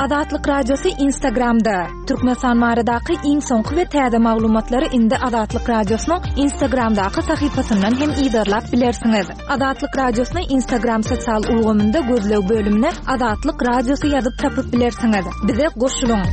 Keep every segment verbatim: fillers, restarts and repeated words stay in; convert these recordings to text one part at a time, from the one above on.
Azatlyk Radiosy Instagramda. Türkmenistan baradaky iň soňky we täze maglumatlary indi Azatlyk Radiosynyň Instagramdaky sahypasyndan hem yzarlap bilersiňiz. Azatlyk Radiosyny Instagram sosial ulgamynda gözleg bölümine Azatlyk Radiosy ýazyp tapyp bilersiňiz. Bize goşulyň.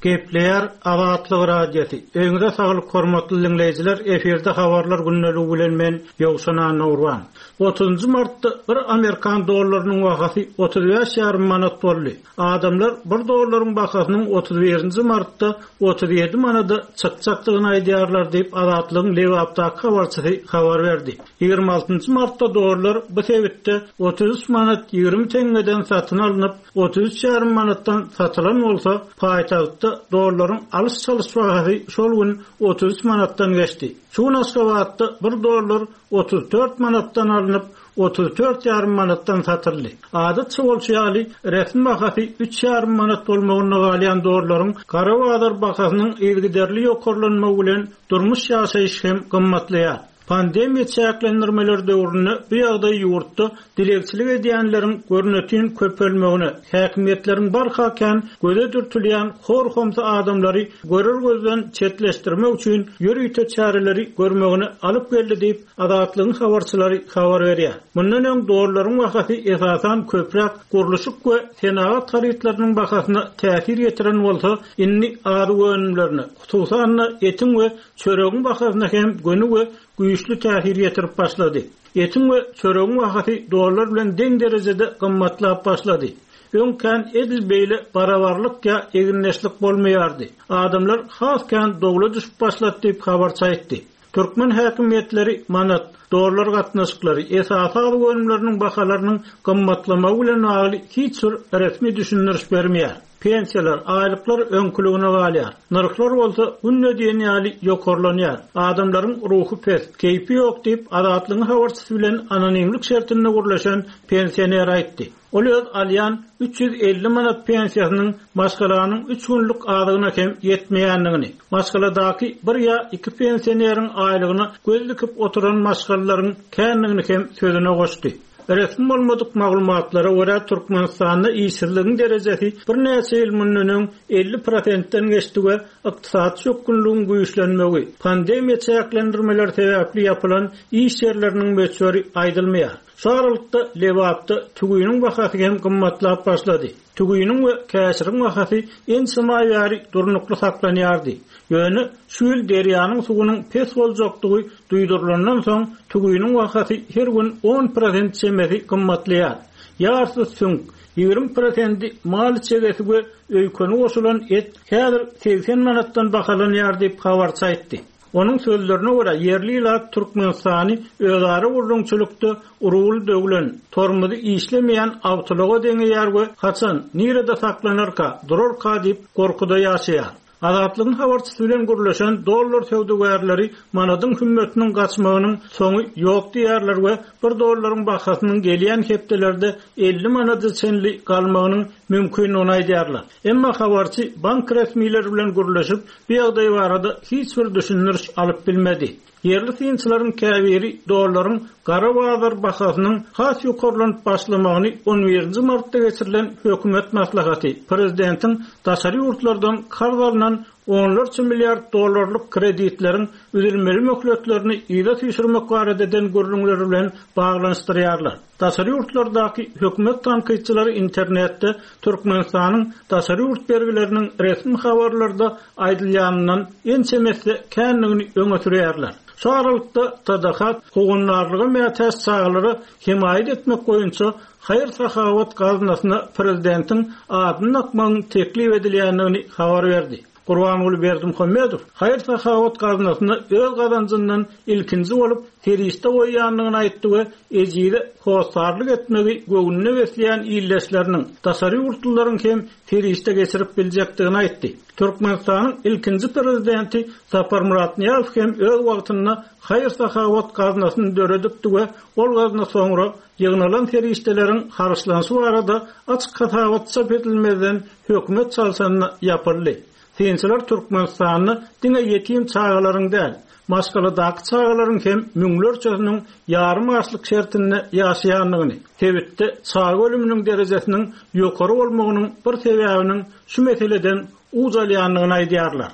Gepleýär Azatlyk Radiosy. Öňüňize saglyk hormatly dinleýjiler, efirde habarlar gündeligi bilen men Ýowşan Annagurban. Otuzunjy martda bir Amerikan dollarynyň bahasy otuz bäş ýarym manat boldy. Adamlar bir dollaryň bahasynyň otuz birinji martda otuz ýedi manada çykjakdygyny aýdýarlar diýip Azatlygyň Lebapdaky habarçysy habar berdi. Ýigrimi altynjy martda dollar bu sebitde otuz üç manat ýigrimi teňňeden satyn alnyp, otuz üç ýarym manatdan satylan bolsa, paýtagtda dollaryň alyş-çalyş bahasy şol gün otuz üç manatdan geçdi. Şu gün Aşgabatda bir dollar otuz dört manatdan alnyp, otuz dört ýarym manatdan satyldy. Adatça bolşy ýaly resmi bahasy üç ýarym manat bolmagyna galýan dollaryň gara bazar bahasynyň yzygiderli ýokarlanmagy bilen durmuş ýaşaýyş hem gymmatlaýar. Pandemiýa çäklendirmeler döwründe bu ýagdaý ýurtda dilegçilik edýänleriň görnütin köpelmegine, häkimiýetleriň barha kän göze dürtülýän hor-homsy adamlary görür gözden çetleşdirmek üçin ýörite çäreleri görmegine alyp geldi diýip Azatlygyň habarçylary habar berýär. Mundan öň dollaryň bahasy esasan köpräk gurluşyk we senagat harytlarynyň bahasyna täsir ýetiren bolsa, indi azyk önümlerine, hususan-da etiň we çöregiň bahasyna hem göni we güýçli täsir ýetirip başlady. Etiň we çöregiň bahasy dollar bilen deň derejede gymmatlap başlady. Öňkän edil beýle barabarlyk ýa eginleşlik bolmaýardy. Adamlar has kän dowla düşüp başlady diýip habarçy aýtdy. Türkmen häkimiýetleri manat, dollar gatnaşyklary, esasy azyk önümleriniň bahalarynyň gymmatlamagy bilen bagly hiç bir resmi düşündiriş bermeýär. Pensiýalar, aýlyklar öňküligine galýar. Nyrhlar bolsa günde diýen ýaly ýokarlanýar. Adamlaryň ruhy pes, keýpi ýok diýip Azatlygyň habarçysy bilen anonimlik şertinde gürleşen pensioner aýtdy. Ol öz alýan üç ýüz elli manat pensiýasynyň maşgalanyň üç günlük azygyna hem ýetmeýändigini, maşgaladaky bir ýa iki pensioneriň aýlygyna göz dikip oturan maşgalalaryň kändigini hem sözüne goşdy. Resmi bolmadyk maglumatlara görä Türkmenistanda işsizligiň derejesi birnäçe ýyl mundan öň elli prosentden geçdi we ykdysady çökgünligiň güýçlenmegi, pandemiýa çäklendirmeleri sebäpli ýapylan iş ýerleriniň möçberi aýdylmaýar. Şu aralykda Lebapda tügüniň bahasy hem gymmatlap başlady. Tügüniň we käşiriň bahasy ençeme aý bäri durnukly saklanýardy. Ýöne şu ýyl derýanyň suwunyň pes boljakdygy duýdurylandan soň tügüniň bahasy her gün on prosent çemesi gymmatlaýar. Ýarysy süňk, ýigrimi prosenti mal içegesi we öýkeni goşulan et häzir segsen manatdan bahalanýar diýip habarçy aýtdy. Onuň sözlerine görä ýerli ilat Türkmenistany özara gurrumçylykda urul döwlen, tormuzy işlemeýän awtologa deňeýär we haçan nirede saklanarka, durarka diýip gorkuda ýaşaýar. Azatlygyň habarçysy bilen gürleşen dollar söwdagärleri manadyň hümmetiniň gaçmagynyň soňy ýok diýärler we bir dollaryň bahasynyň gelýän hepdelerde elli manada çenli galmagynyň mümkindigini aýdýarlar. Emma habarçy bank resmileri bilen gürleşip, bu ýagdaý barada hiç bir düşündiriş alyp bilmedi. Ýerli synçylaryň käbiri dollaryň gara bazar bahasynyň has ýokarlanyp başlamagyny on birinji martda geçirilen hökümet maslahaty, prezidentiň daşary ýurtlardan karz alynan onlarça milliard dollarlyk kreditleriň üzülmeli möhletlerini yza süýşürmek barada eden gürrüňleri bilen baglanyşdyrýarlar. Daşary ýurtlardaky hökümet tankytçylary internetde Türkmenistanyň daşary ýurt bergileriniň resmi habarlarda aýdylýanyndan ençemesi kändigini öňe sürýärler. Şu aralykda T D H howandarlyga mätäç çagalara hemaýat etmek boýunça haýyr-sahawat gaznasyna prezidentiň adyny dakmagyň teklip edilýändigini habar berdi. Gurbanguly Berdimuhamedow haýyr-sahawat gaznasyna öz gazanjyndan ilkinji bolup serişde goýýandygyny aýtdy we ejize hossarlyk etmegi göwnüne besleýän illeşleriniň daşary ýurtlylaryň hem serişde geçirip biljekdigini aýtdy. Türkmenistanyň ilkinji prezidenti Saparmyrat Nyýazow hem öz wagtynda haýyr-sahawat gaznasyny döredipdi we ol gazna soňra ýygnalan serişdeleriň harçlanyşy barada açyk hasabat çap edilmezden hökümet çalşanyna ýapyldy. Synçylar Türkmenistanda diňe ýetim çagalaryň däl, maşgaladaky çagalaryň hem müňlerçesiniň ýarym açlyk şertinde ýaşaýandygyny, sebitde çaga ölüminiň derejesiniň ýokary bolmagynyň bir sebäbiniň şu meseleden uç alýandygyny aýdýarlar.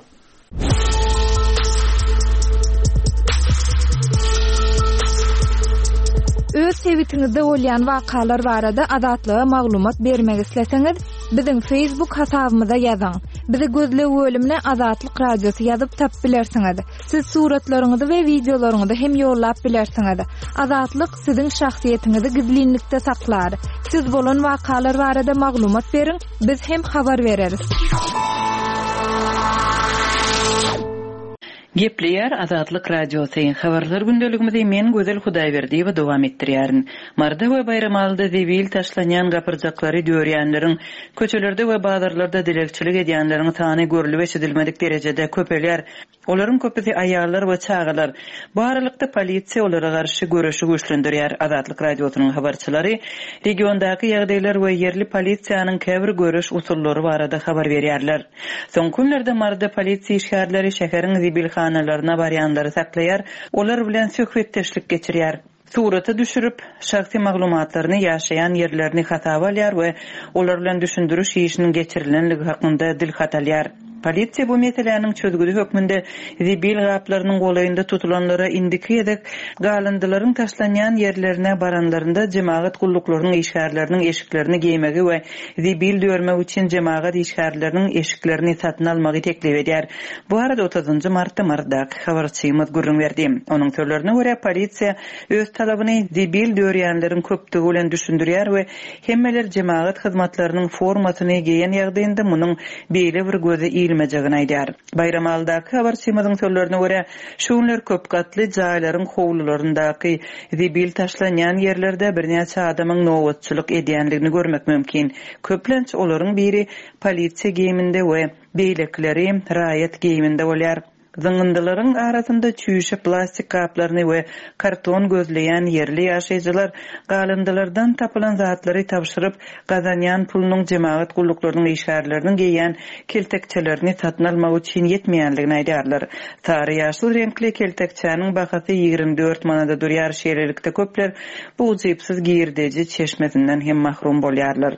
Öz sebitiňizde bolýan wakalar barada Azatlyga maglumat bermek isleseňiz, biziň Facebook hasabymyza ýazyň. Bizi gözleg bölümine Azatlyk Radiosy ýazyp tap bilersiňiz. Siz suratlaryňyzy we wideolaryňyzy hem ýollap bilersiňiz. Azatlyk siziň şahsyýetiňizi gizlinlikde saklar. Siz bolan wakalar barada maglumat beriň, biz hem habar bereris. Gepleýär Azatlyk Radiosy. Habarlar gündeligimizi men Gözel Hudaýberdiýewa dowam etdirýärin. Marda we Baýramalyda zebil taşlanýan gapyrjaklary dörýänleriň, köçelerde we bazarlarda dilegçilik edýänleriň sany görülip eşidilmedik derejede köpelýär. Olaryň köpüsi aýallar we çagalar. Bu aralykda polisiýa olara garşy göreşi güýçlendirýär. Azatlyk Radiosynyň habarçylary regiondaky ýagdaýlar we ýerli polisiýanyň käbir göreş usullary barada habar berýärler. Soňky günlerde Marda polisiýa işgärleri şäheriň zibilhanalaryna barýanlary saklaýar, olar bilen söhbetdeşlik geçirýär. Surata düşürip, şahsy maglumatlaryny ýaşaýan ýerlerini hasaba alýar we olar bilen düşündiriş işiniň geçirilenligi hakynda dilhat alýar. Polisiýa bu meseläniň çözgüdi hökmünde zibil gaplarynyň golaýynda tutulanlara indiki gezek galyndylaryň taşlanýan ýerlerine baranlarynda jemagat gulluklarynyň işgärleriniň eşiklerini geýmegi we zibil dörmek üçin jemagat işgärleriniň eşiklerini satyn almagy teklip edýär. Bu arada otuzynjy martda Mardaky habarçymyz gürrüň berdi. Onuň sözlerine görä polisiýa öz talabyny zibil dörýänleriň köpdügi bilen düşündirýär we hemmeler jemagat hyzmatlarynyň formasyny geýen ýagdaýynda munuň beýle bir göze ilmejegini aýdýar. Baýramalydaky habarçymyzyň sözlerine görä şu günler köp gatly jaýlaryň howlularyndaky zibil taşlanýan ýerlerde birnäçe adamyň nobatçylyk edýändigini görmek mümkin. Köplenç olaryň biri polisiýa geýiminde we beýlekileri raýat geýiminde bolýar. Zyňyndylaryň arasynda çüýşe plastik gaplaryny we karton gözleýän ýerli ýaşaýjylar galyndylardan tapylan zatlary tabşyryp, gazanýan pulunyň jemagat gulluklarynyň işgärleriniň geýen keltekçelerini satyn almak üçin ýetmeýänligini aýdýarlar. Sary ýaşyl reňkli keltekçäniň bahasy ýigrimi dört manada durýar. Şeýlelikde köpler bu ujypsyz girdeji çeşmesinden hem mahrum bolýarlar.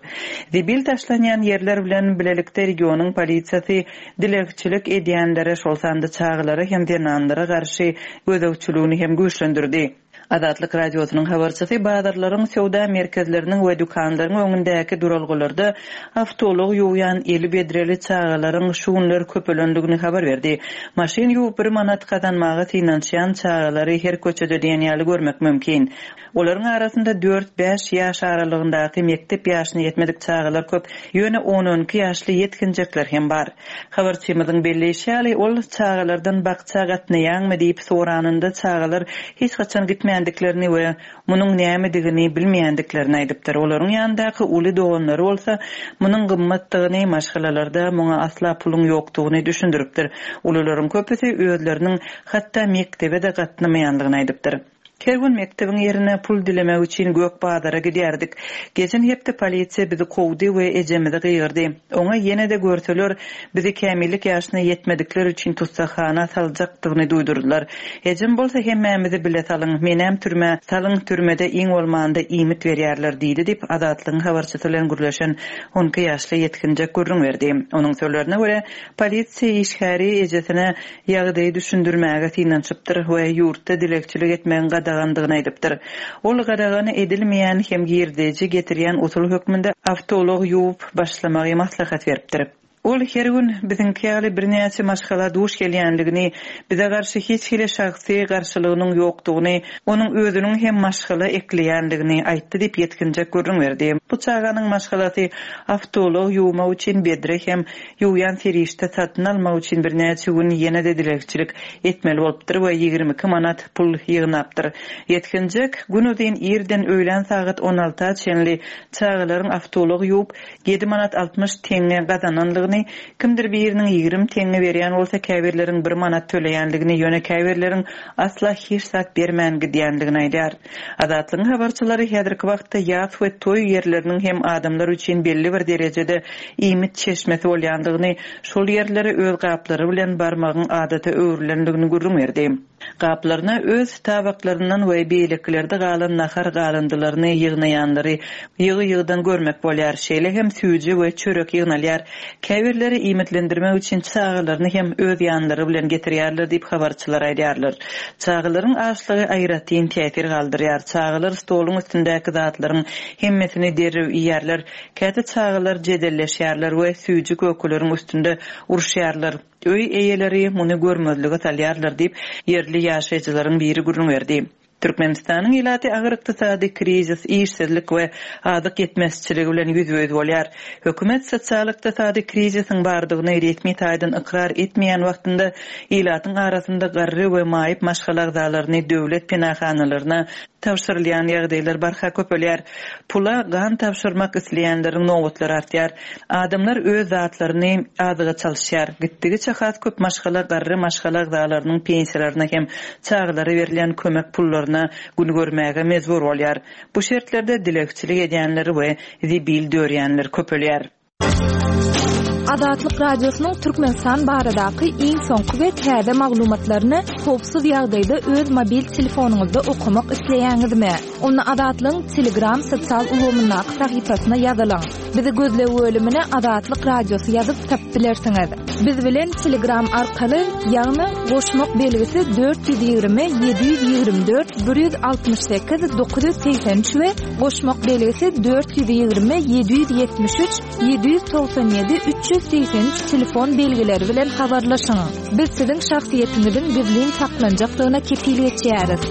Zibil taşlanýan ýerler bilen bilelikde regionyň polisiýasy dilegçilik edýänlere, şol sanda çagalara hem zenanlara garşy gözegçiligini hem güýçlendirdi. Azatlyk Radiosynyň habarçysy bazarlaryň, söwda merkezleriniň we dükanlaryň öňündäki duralgalarda awtoulag ýuwýan eli bedreli çagalaryň şu günler köpelendigini habar berdi. Maşyn ýuwup bir manat gazanmaga synanyşýan çagalary her köçede diýen ýaly görmek mümkin. Olaryň arasynda dört-bäş ýaş aralygyndaky mekdep ýaşyna ýetmedik çagalar köp, ýöne on-on iki ýaşly ýetginjekler hem bar. Habarçymyzyň belleýşi ýaly, ol çagalardan bakça gatnaýaňmy diýip soranynda çagalar hiç haçan gitmändiklerini we munuň nämedigini bilmeýändiklerini aýdypdyr. Olaryň ýanyndaky uly doganlary bolsa munuň gymmatdygyny, maşgalalarda muňa asla puluň ýokdugyny düşündiripdir. Ulularyň köpüsi özleriniň hatda mekdebe de gatnamaýandygyny aýdypdyr. Her gün mekdebiň ýerine pul dilemek üçin gök bazara gidýärdik. Geçen hepde polisiýa bizi kowdy we ejemizi gygyrdy. Oňa ýene de görseler bizi kämillik ýaşyna ýetmedikler üçin tussahana saljakdygyny duýdurdylar. Ejem bolsa hemmämizi bile salyň, menem türmä salyň, türmede iň bolmanda iýmit berýärler diýdi diýip Azatlygyň habarçysy bilen gürleşen on iki ýaşly ýetginjek gürrüň berdi. Onuň sözlerine görä polisiýa işgäri ejesine ýagdaýy düşündirmäge synanyşypdyr we ýurtda dilegçilik etmegiň gadagandygyny aýdypdyr. Ol gadagany edilmeýän hem girdeji getirýän usul hökmünde awtoulag ýuwup başlamagy maslahat beripdir. Ol her gün biziňki ýaly birnäçe maşgala duş gelýänligini, bize garşy hiç hili şahsy garşylygynyň ýokdugyny, onuň özüniň hem maşgala ekleýänligini aýtdy diýip ýetginjek gürrüň berdi. Bu çaganyň maşgalasy awtoulag ýuwmak üçin bedre hem ýuwýan serişde satyn almak üçin birnäçe gün ýene de dilegçilik etmeli bolupdyr we ýigrimi iki manat pul ýygnapdyr. Ýetginjek gün uzyn irden öýlän sagat on alta çenli çagalaryň awtoulag ýuwup ýedi manat altmyş teňňe gazananlygyny alýandygyny, kimdir biriniň ýigrimi teňňe berýän bolsa käbirleriň bir manat töleýändigini, ýöne käbirleriň asla hiç zat bermän gidýändigini aýdar. Azatlygyň habarçylary häzirki wagtda ýas we toý ýerleriniň hem adamlar üçin belli bir derejede iýmit çeşmesi bolýandygyny, şol ýerlere öz gaplary bilen barmagyň adata öwrülendigini gürrüň berdi. Gaplaryna öz tabaklaryndan we beýlekilerde galan nahar galyndylaryny ýygnaýanlary ýygy-ýygydan görmek bolýar. Şeýle hem süýji we çörek ýygnalýar. Käbirleri iýmitlendirmek üçin çagalaryny hem öz ýanlary bilen getirýärler diýip habarçylar aýdýarlar. Çagalaryň açlygy aýratyn täsir galdyrýar. Çagalar stoluň üstündäki zatlaryň hemmesini derrew iýerler. Käte çagalar jedelleşýärler we süýji kökeleriň üstünde uruşýarlar. Öý eýeleri muny görmezlige salýarlar diýip ýerli ýaşaýjylaryň biri gürrüň berdi. Türkmenistanyň ilaty agyr ykdysady krizis, işsizlik we azyk ýetmezçiligi bilen ýüzbe-ýüz bolýar. Hökümet sosial ykdysady krizisiň bardygyny resmi taýdan ykrar etmeýän wagtynda ilatyň arasynda garry we maýyp maşgala agzalaryny döwlet penahanalaryna tabşyrylýan ýagdaýlar barha köpelýär. Pula gan tabşyrmak isleýänleriň nobatlary artýar. Adamlar öz zatlaryny azyga çalyşýar. Gitdigiçe has köp maşgala garry maşgala agzalarynyň pensiýalaryna hem çagalara berilýän kömek pullaryna gün görmäge mejbur bolýar. Bu şertlerde dilegçilik edýänler we zibil dörýänler köpelýär. Azatlyk Radiosynyň Türkmenistan baradaky iň soňky we täze maglumatlaryny howpsuz ýagdaýda öz mobil telefonyňyzda okamak isleýäňizmi? Onda Azatlygyň Telegram sosial ulgamyndaky sahypasyna ýazylyň. Bizi gözleg bölümine Azatlyk Radiosy ýazyp tapyp bilersiňiz. Biz bilen Telegram arkaly, ýagny goşmak belgisi dört ýüz ýigrimi ýedi ýüz ýigrimi dört bir ýüz altmyş sekiz dokuz ýüz segsen üç we goşmak belgisi dört ýüz ýigrimi ýedi ýüz ýetmiş üç ýedi ýüz togsan ýedi üç ýüz segsen üç telefon belgileri bilen habarlaşyň. Biz siziň şahsyýetiňiziň gizlin saklanjakdygyna kepil geçýäris.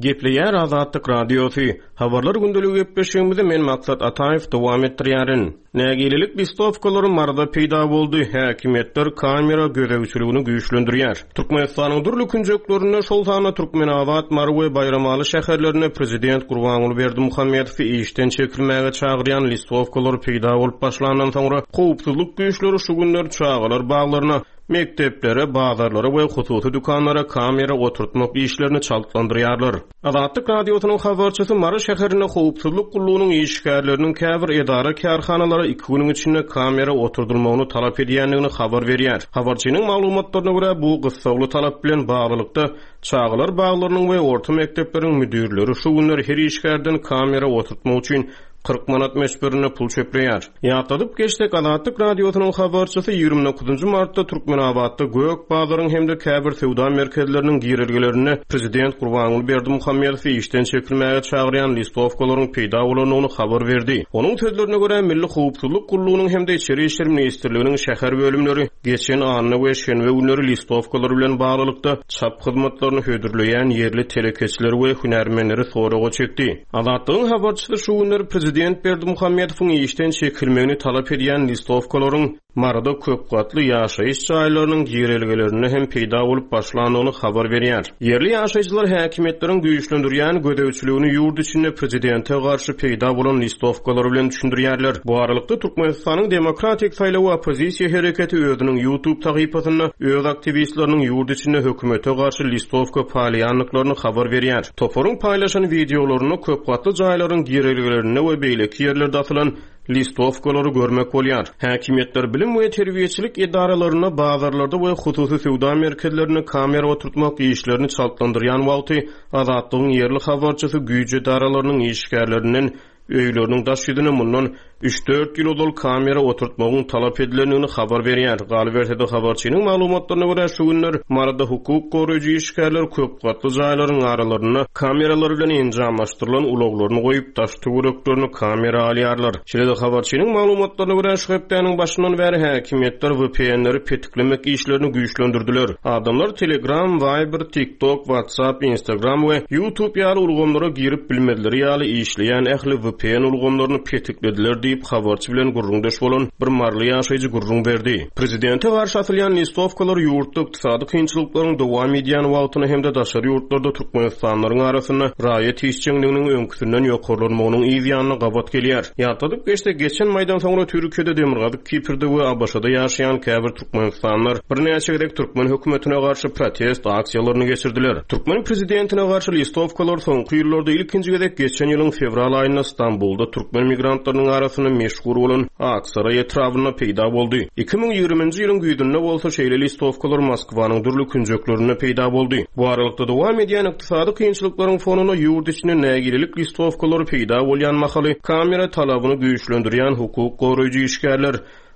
Gepleýär Azatlyk Radiosy. Habarlar gündeligi gepleşigimizi men Maksat Ataýew dowam etdirýärin. Nägilelik listowkalary Maryda peýda boldy. Häkimiýetler kamera gözegçiligini güýçlendirýär. Türkmenistanyň dürli künjeklerinde, şol sanda Türkmenabat, Mary we Baýramaly şäherlerinde Prezident Gurbanguly Berdimuhamedowy işden çekilmäge çagyrýan listowkalar peýda bolup başlandan soňra howpsuzlyk güýçleri şu günler çagalar baglaryna, mekdeplere, bazarlara we hususy dükanlara kamera oturtmak işlerini çaltlandyrýarlar. Azatlyk Radiosynyň habarçysy Mary şäherinde howpsuzlyk gullugynyň işgärleriniň käbir edara kärhanalara iki günüň içinde kamera oturdylmagyny talap edýändigini habar berýär. Habarçynyň maglumatlaryna görä, bu gyssagly talap bilen baglylykda çagalar baglarynyň we orta mekdepleriň müdirleri şu günler her işgärden kamera oturtmak üçin kyrk manat möçberinde pul çöpleýär. Ýatladyp geçsek, Azatlyk Radiosynyň habarçysy ýigrimi dokuzynjy martda Türkmenabatda Gök bazaryň hem-de käbir söwda merkezleriniň girelgelerinde Prezident Gurbanguly Berdimuhamedowy işden çekilmäge çagyrýan listowkalaryň peýda bolandygyny habar berdi. Onuň sözlerine görä, Milli Howpsuzlyk gullugynyň hem-de Içeri İşler Ministrliginiň şäher bölümleri geçen anna we şenbe günleri listowkalar bilen baglylykda çap hyzmatlaryny hödürleýän ýerli telekeçiler we hünärmenleri soraga çekdi. Azatlygyň habarçysy şu günler Prezident Berdimuhamedowyň işden çekilmegini talap edýän listowkalaryň Maryda köp gatly ýaşaýyş jaýlarynyň girelgelerinde hem peýda bolup başlandygyny habar berýär. Ýerli ýaşaýjylar häkimiýetleriň güýçlendirýän gözegçiligini ýurt içinde prezidente garşy peýda bolan listowkalary bilen düşündirýärler. Bu aralykda Türkmenistanyň Demokratik Saýlaw Oppozisiýa hereketi özüniň YouTube sahypasynda öz aktiwistleriniň ýurt içinde hökümete garşy listowka paýlaýandyklaryny habar berýär. Toparyň paýlaşan wideolarynda köp gatly jaýlaryň girelgelerinde we beýleki ýerlerde asylan listowkalary görmek bolýar. Häkimiýetler bilim we terbiýeçilik edaralarynda, bazarlarda we hususy söwda merkezlerinde kamera oturtmak işlerini çaltlandyrýan wagty Azatlygyň ýerli habarçysy güýç edaralarynyň işgärlerinden öýleriniň daş ýüzüne mundan üç-dört ýyl ozal kamera oturtmagyň talap edilendigini habar berýär. Galyberse-de habarçynyň maglumatlaryna görä, şu günler Maryda hukuk goraýjy işgärler köp gatly jaýlaryň aralarynda kameralar bilen enjamlaşdyrylan ulaglaryny goýup, daş töwereklerini kamera alýarlar. Şeýle-de habarçynyň maglumatlaryna görä, şu hepdäniň başyndan bäri häkimiýetler V P N-leri petiklemek işlerini güýçlendirdiler. Adamlar Telegram, Viber, TikTok, WhatsApp, Instagram we YouTube ýaly ulgamlara girip bilmezleri ýaly işleýän ähli V P N ulgamlaryny petiklediler diýip diýip habarçy bilen gürrüňdeş bolan bir maryly ýaşaýjy gürrüň berdi. Prezidente garşy atylýan listowkalar ýurtda ykdysady kynçylyklaryň dowam edýän wagtyny hem-de daşary ýurtlarda Türkmenistanlylaryň arasynda raýat işjeňliginiň öňküsinden ýokarlanmagynyň yz ýanyna gabat gelýär. Ýatladyp geçsek, geçen maýdan soňra Türkiýede Demirgazyk Kiprde we ABŞ-da ýaşaýan käbir Türkmenistanlylar birnäçe gezek türkmen hökümetine garşy protest aksiýalaryny geçirdiler. Türkmen prezidentine garşy listowkalar soňky ýyllarda ilkinji gezek geçen ýylyň fewral aýynda Stambulda türkmen migrantlarynyň arasynda meşhur bolan Aksaray etrabynda peýda boldy. iki müň ýigriminji ýylyň güýzünde bolsa şeýle listowkalar Moskwanyň dürli künjeklerinde peýda boldy. Bu aralykda dowam edýän ykdysady kynçylyklaryň fonunda ýurt içinde nägilelik listowkalary peýda bolýan mahaly kamera talabyny güýçlendirýän hukuk goraýjy işgärler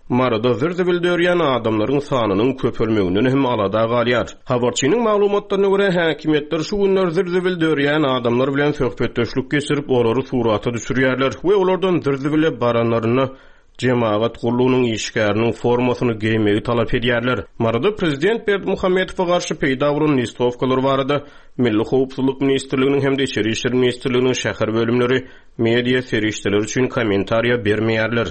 Maryda zir-zibil dörýän adamlaryň sanynyň köpelmeginden hem alada galýar. Habarçynyň maglumatlaryna görä häkimiýetler şu günler zir-zibil dörýän adamlar bilen söhbetdeşlik geçirip olary surata düşürýärler we olardan zir-zibile baranlaryna cemaat gullugynyň işgäriniň formasyny geýmegi talap edýärler. Maryda prezident Berdimuhamedowa garşy peýda bolan listowkalar barada Milli Howpsuzlyk Ministrliginiň hem-de Içeri İşler Ministrliginiň şäher bölümleri media serişdeleri üçin kommentariýa bermeýärler.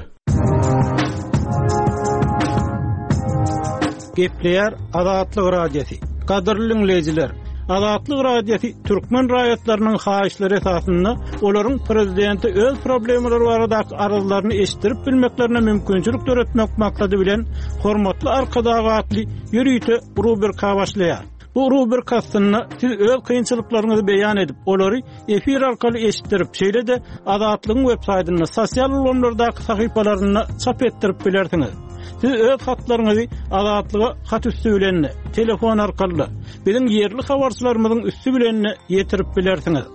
Gepleýär Azatlyk Radiosy. Gadyrly dinleýjiler, Azatlyk Radiosy türkmen raýatlarynyň haýyşlary esasynda olaryň prezidenti öz problemalary baradaky arzlaryny eşitdirip bilmeklerine mümkinçilik döretmek maksady bilen hormatly Arkadag atly ýörite rubrika başlaýar. Bu rubrika aslynda siz öz kynçylyklaryňyzy beýan edip, olary efir arkaly eşitdirip, şeýle-de Azatlygyň web saýtynda, sosial ulgamlardaky sahypalarynda çap etdirip bilersiňiz. Siz öz hatlaryňyzy Azatlyga hat üstü bilen, telefon arkaly, biziň ýerli habarçylarymyzyň üstü bilen ýetirip bilersiňiz.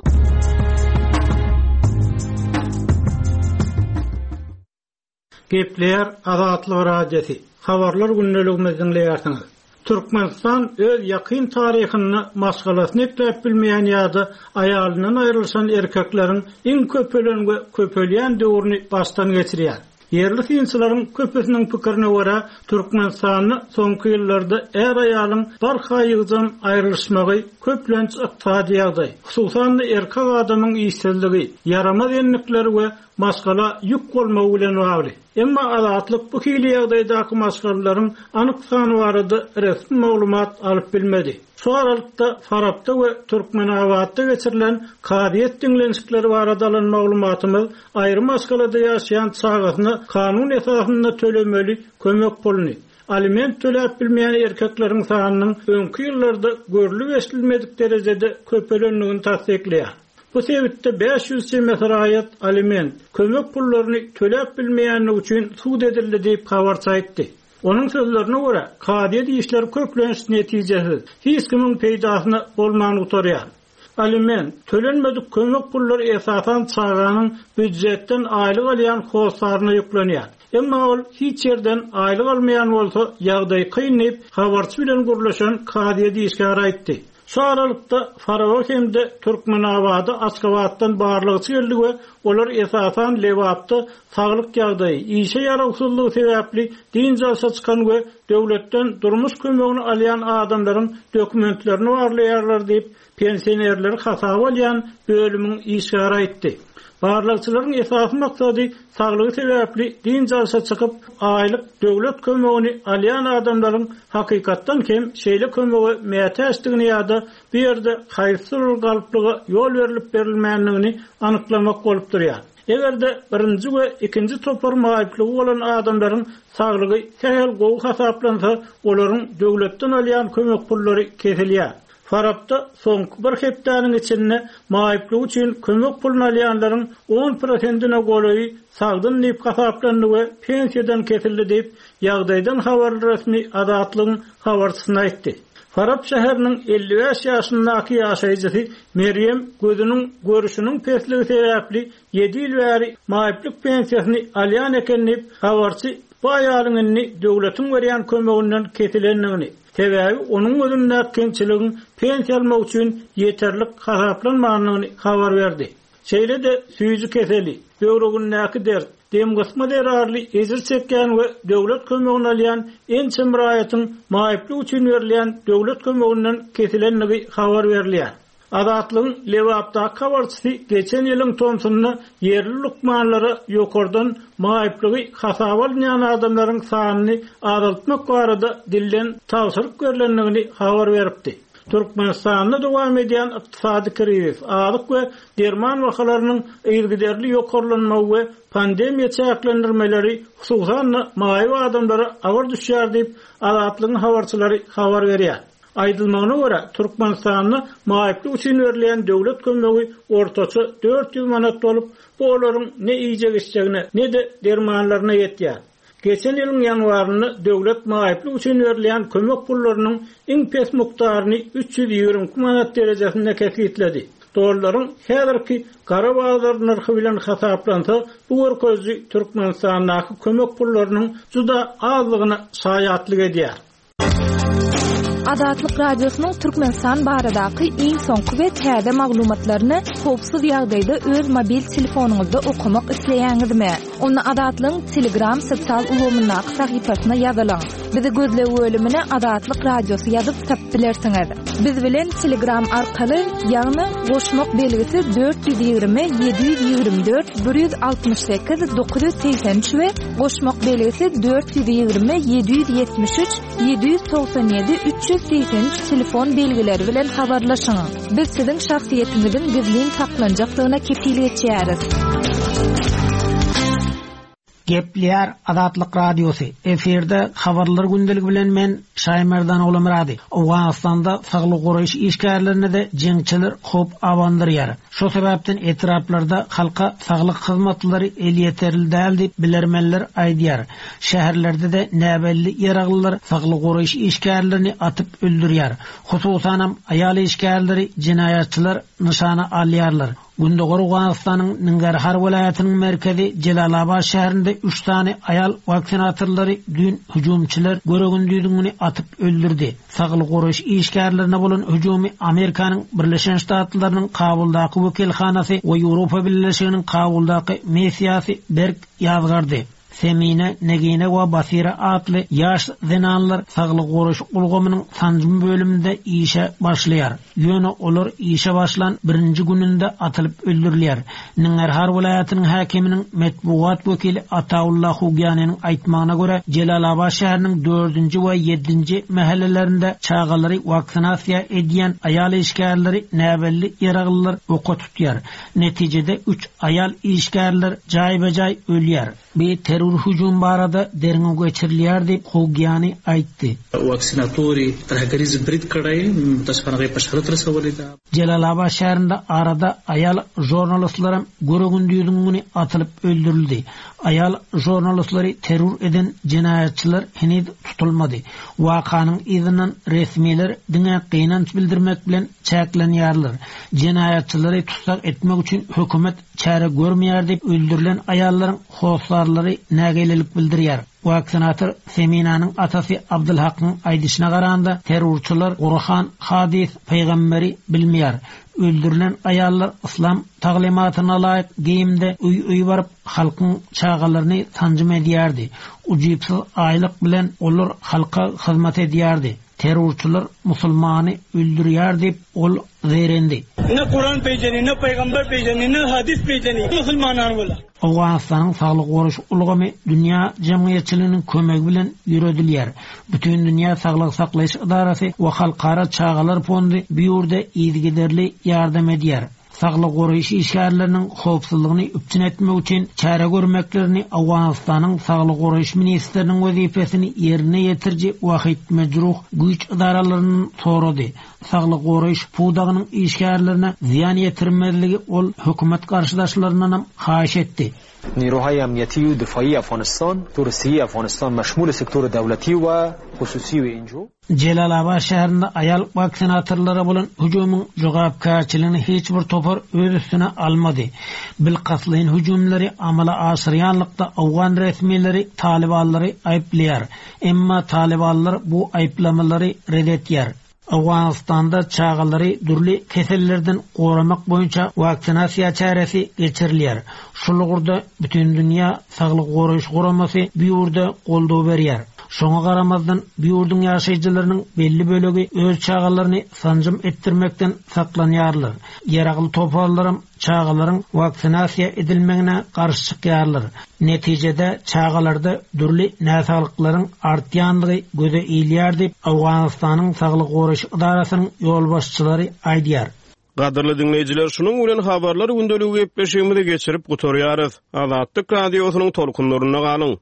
Gepleýär Azatlyk Radiosy. Habarlar gündeligimizi dinleýärsiňiz. Türkmenistan öz ýakyn taryhyny maşgalasyny ekläp bilmeýän ýa-da aýalyndan aýrylyşan erkekleriň iň köpelen we köpelýän döwrüni başdan geçirýär. Ýerli synçylaryň köpüsiniň pikirine görä, Türkmenistanda soňky ýyllarda är aýalyň barha ýygjam aýrylyşmagy köplenç ykdysady ýagdaý, hususan-da erkek adamyň işsizligi, ýaramaz endikleri we maşgala ýük bolmagy bilen bagly. Emma Azatlyk bu hili ýagdaýdaky maşgalalaryň anyk sany barada resmi maglumat alyp bilmedi. Şu aralykda Farapda we Türkmenabatda geçirilen kazyýet diňlenişikleri barada alan maglumatymyz aýry maşgalada ýaşaýan çagasyna kanun esasynda tölemeli kömek puluny aliment töläp bilmeýän erkekleriň sanynyň öňki ýyllarda görlüp eşidilmedik derejede köpelendigini tassyklaýar. Bu sebitde bäş ýüz çemesi raýat aliment kömek pullaryny töläp bilmeýänligi üçin sud edildi diýip habarçy aýtdy. Onuň sözlerine görä, kazyýet işleri köplenç netijesiz, hiç kimiň peýdasyna bolman gutarýar. Aliment tölenmedik kömek pullary esasan çaganyň býujetden aýlyk alýan hossarına ýüklenýär. Emma ol hiç ýerden aýlyk almaýan bolsa, ýagdaý kyn diýip habarçy bilen gürleşen kazyýet işgäri aýtdy. Şu aralykda Faraba hem-de Türkmenabada Aşgabatdan barlykçy geldi we olar esasan Lebapda saglyk ýagdaýy, işe ýarawsyzlygy sebäpli dynç alşa çykan we döwletden durmuş kömegini alýan adamlaryň dokumentlerini barlaýarlar diýip pensionerleri hasaba alýan bölümiň işgäri aýtdy. Barlykçylaryň esasy maksady saglygy sebäpli dynç alşa çykyp aýlyk döwlet kömegini alýan adamlaryň hakykatdan hem şeýle kömege mätäçdigini ýa-da bu ýerde haýsydyr bir galplyga ýol berilip berilmändigini anyklamak bolup durýar. Eger-de birinji we ikinji topar maýyplygy bolan adamlaryň saglygy sähel gowy hasaplansa, olaryň döwletden alýan kömek pullary kesilýär. Farapda soňky bir hepdäniň içinde maýyplygy üçin kömek puluny alýanlaryň on prosentine golaýy sagdyn diýip hasaplandy we pensiýadan kesildi diýip ýagdaýdan habarly resmi Azatlygyň habarçysyna aýtdy. Farap şäheriniň elli bäş ýaşyndaky ýaşaýjysy Meryem gözüniň görüşiniň pesligi sebäpli ýedi ýyl bäri maýyplyk pensiýasyny alýan eken diýip habarçy bu aýalyň indi döwletiň berýän kömeginden kesilendigini, sebäbi onuň gözündäki kemçiligiň pensiýa almak üçin ýeterlik hasaplanmandygyny habar berdi. Şeýle-de süýji keseli, böwregindäki dert, dem gysma zerarly ejir çekýän we döwlet kömegini alýan ençe raýatyň maýyplyk üçin berilýän döwlet kömeginden kesilendigi habar berilýär. Azatlygyň Lebapdaky habarçysy geçen ýylyň tomsunda ýerli lukmanlara ýokardan maýyplygy hasaba alynýan adamlaryň sanyny azaltmak barada dilden tabşyryk berlendigini habar beripdi. Türkmenistanda dowam edýän ykdysady krizis, azyk we derman bahalarynyň yzygiderli ýokarlanmagy we pandemiýa çäklendirmeleri hususan maýyp adamlara agyr düşýär diýip Azatlygyň habarçylary habar berýär. Aýdylmagyna görä, Türkmenistanda maýyplyk üçin berilýän döwlet kömegi ortaça dört ýüz manat bolup, bu olaryň ne iýjek içjegine, ne-de dermanlaryna ýetýär. Geçen ýylyň ýanwarynda döwlet maýyplyk üçin berilýän kömek pullarynyň iň pes mukdaryny üç ýüz ýigrimi iki manat derejesinde kesgitledi. Dollaryň häzirki gara bazar nyrhy bilen hasaplansa, bu görkeziji Türkmenistandaky kömek pullarynyň juda azlygyna şaýatlyk edýär. Azatlyk Radiosynyň Türkmenistan baradaky iň soňky we täze maglumatlaryny howpsuz ýagdaýda öz mobil telefonyňyzda okamak isleýäňizmi? Onda Azatlygyň Telegram sosial ulgamyndaky sahypasyna ýazylyň. Bizi gözleg bölümine Azatlyk Radiosy ýazyp tapyp bilersiňiz. Biz bilen Telegram arkaly, ýagny goşmak belgisi dört ýüz ýigrimi ýedi ýüz ýigrimi dört bir ýüz altmyş sekiz dokuz ýüz segsen üç we goşmak belgisi dört ýüz ýigrimi ýedi ýüz ýetmiş üç ýedi ýüz togsan ýedi üç ýüz segsen üç telefon belgileri bilen habarlaşyň. Biz siziň şahsyýetiňiziň gizlin saklanjakdygyna kepil geçýäris. Gepleýär Azatlyk Radiosy. Efirde habarlar gündeligi bilen men Şaýmerdan Ogulmyrady. Owganystanda saglyk goraýyş işgärlerine de jeňçiler howp abandyrýar. Şo sebäpden etraplarda halka saglyk hyzmatlary elýeterli däl diýip bilermenler aýdýar. Şäherlerde de näbelli ýaraglylar saglyk goraýyş işgärlerini atyp öldürýär. Hususanam aýal işgärleri jenaýatçylar nyşana alýarlar. Gündogar Owganystanyň Ningarhar welaýatynyň merkezi Jelalabad şäherinde üç sany aýal waksinatorlary düýn hüjümçiler göregündüzüňini atyp öldürdi. Saglyk goraýyş işgärlerine bolan hüjümi Amerikanyň Birleşen Ştatlarynyň Kabuldaky wekilhanasy we Ýewropa Birleşiginiň Kabuldaky missiýasy berk ýazgardy. Semine, Negine we Basira atly ýaş zenanlar saglyk goraýyş ulgamynyň sanjym bölüminde işe başlaýar. Ýöne olar işe başlan birinji gününde atylyp öldürilýär. Ningarhar welaýatynyň häkiminiň metbugat wekili Ataullah Hugyanyň aýtmagyna görä, Jelalabad şäheriniň dördünji we ýedinji mahallelerinde çagalary waksinasiýa edýän aýal işgärleri näbelli ýaraglylar oka tutýar. Netijede üç aýal işgärler jaýba-jaý ölýär. Bir terror hüjüm barada derňew geçirilýär diýip Hugyany aýtdy. Vaksinatori terhageriz brit karaý, mutaşkanagy paşharat rasawaly da. Jelalabad şäherinde arada aýal jurnalistlaram göregündüzüňini atylyp öldürildi. Aýal jurnalistlary terror eden jenaýatçylar heniz tutulmady. Wakanyň yzyndan resmiler diňe gynanç bildirmek bilen çäklenýärler. Jenaýatçylary tutsak etmek üçin hökümet çäre görmeýär diýip öldürilen aýallaryň hossarlary nägilelik bildirýär. Vaksinator Seminanyň atasy Abdulhakyň aýdyşyna garanda terrorçylar Gurhan, hadis, peýgamberi bilmeýär. Öldürilen aýallar islam taglymatyna laýyk geýimde öý-öý baryp halkyň çagalaryny sanjym edýärdi. Ujypsyz aýlyk bilen olar halka hyzmat edýärdi. Terrorçylar musulmany öldürýär diýip ol zerendi. Ne Kur'an peýjeni, ne peygamber peýjeni, ne hadis peýjeni, musulmanar bola. Owganystanyň saglyk goraýyş ulgamy dünýä jemgyýetçiliginiň kömegi bilen ýöredilýär. Bütün dünýä saglyk saklaýyş edarasy we halkara çagalar fondy bu ýurda yzygiderli ýardam edýär. Saglyk goraýyş işgärleriniň howpsuzlygyny üpjün etmek üçin çäre görmeklerini Owganystanyň saglyk goraýyş ministriniň wezipesini ýerine ýetiriji Wahid Mejruh güýç edaralaryndan sorady. Saglyk goraýyş pudagynyň işgärlerine zyýan ýetirmezligi ol hökümet garşydaşlaryndan hem haýyş etdi. نیروهای امنیتی و دفاعی افغانستان تور افغانستان مشمول سکتور دولتی و خصوصی و اینجو Jelalabad şäherinde aýal waksinatorlara bolan hüjümiň jogapkärçiligini hiç bir topar öz üstüne almady. Bilkastlaýyn hüjümleri amala aşyrýanlykda Owgan resmileri talibanlary aýyplaýar. Emma talibanlar bu aýyplamalary red etýär. Owganystanda çagalary dürli kesellerden goramak boýunça waksinasiýa çäresi geçirilýär. Şul ugurda bütün dünýä saglyk goraýyş guramasy bu ýurda goldaw berýär. Şoňa garamazdan bu ýurduň ýaşaýjylarynyň belli bölegi öz çagalaryny sanjym etdirmekden saklanýarlar. Ýaragly toparlaram çagalaryň waksinasiýa edilmegine garşy çykýarlar. Netijede çagalarda dürli näsaglyklaryň artýanlygy göze ilýär diýip Owganystanyň Saglyk goraýyş edarasynyň ýolbaşçylary aýdýar. Gadyrly dinleýjiler, şunuň bilen habarlar gündeligi gepleşigimizi geçirip gutarýarys. Azatlyk radiosynyň tolkunlarynda galyň.